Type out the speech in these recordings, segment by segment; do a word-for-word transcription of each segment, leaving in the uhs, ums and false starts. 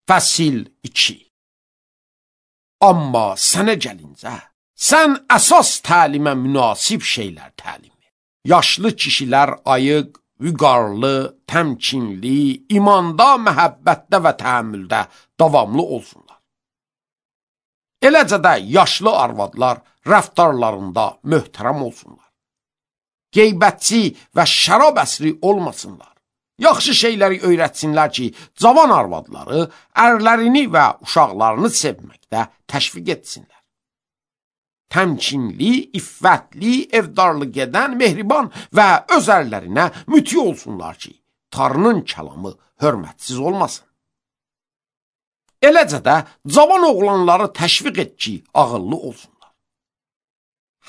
Fəsil iki. Amma sənə gəlincə, sən əsas təlimə münasib şeylər təlim et. Yaşlı kişilər ayıq, vüqarlı, təmkinli, imanda, məhəbbətdə və təhəmmüldə davamlı olsunlar. Eləcə də yaşlı arvadlar rəftarlarında möhtərəm olsunlar. Qeybətçi və şərab əsri olmasınlar. Yaxşı şeyləri öyrətsinlər ki, cavan arvadları ərlərini və uşaqlarını sevməkdə təşviq etsinlər. Təmkinli, iffətli, evdarlı gedən, mehriban və öz ərlərinə müti olsunlar ki, tarının kəlamı hörmətsiz olmasın. Eləcə də cavan oğlanları təşviq et ki, ağıllı olsunlar.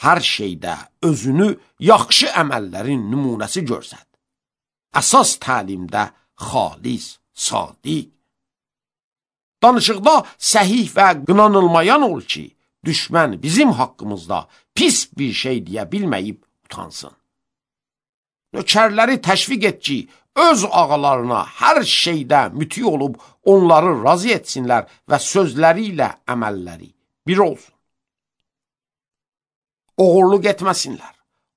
Hər şeydə özünü yaxşı əməllərin nümunəsi görsət. Əsas təlimdə xalis, sadiq. Danışıqda səhih və qınanılmayan ol ki, düşmən bizim haqqımızda pis bir şey deyə bilməyib utansın. Nökərləri təşviq et ki, öz ağalarına hər şeydə müti olub onları razı etsinlər və sözləri ilə əməlləri bir olsun. Oğurluq etməsinlər.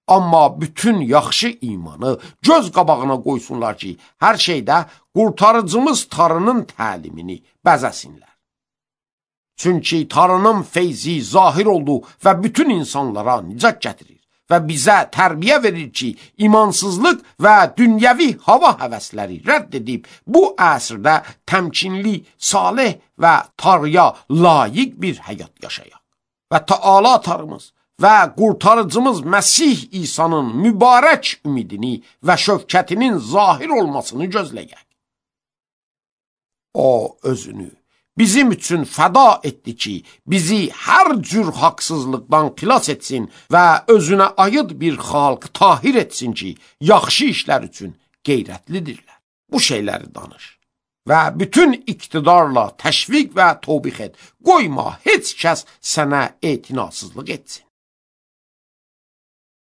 Amma bütün yaxşı imanı göz qabağına qoysunlar ki, hər şeydə qurtarıcımız tarının təlimini bəzəsinlər. Çünki tarının feyzi zahir oldu və bütün insanlara nicat gətirir və bizə tərbiyə verir ki, imansızlıq və dünyəvi hava həvəsləri rədd edib bu əsrdə təmkinli, salih və tarıya layiq bir həyat yaşayaq. Və Taala tarımız və qurtarıcımız Məsih İsa'nın mübarək ümidini və şövkətinin zahir olmasını gözləyək. O özünü bizim üçün fəda etdi ki, bizi hər cür haqsızlıqdan xilas etsin və özünə aid bir xalq tahir etsin ki, yaxşı işlər üçün qeyrətlidirlər. Bu şeyləri danış və bütün iqtidarla təşviq və tövbix et. Qoyma heç kəs sənə etinasızlıq etsin.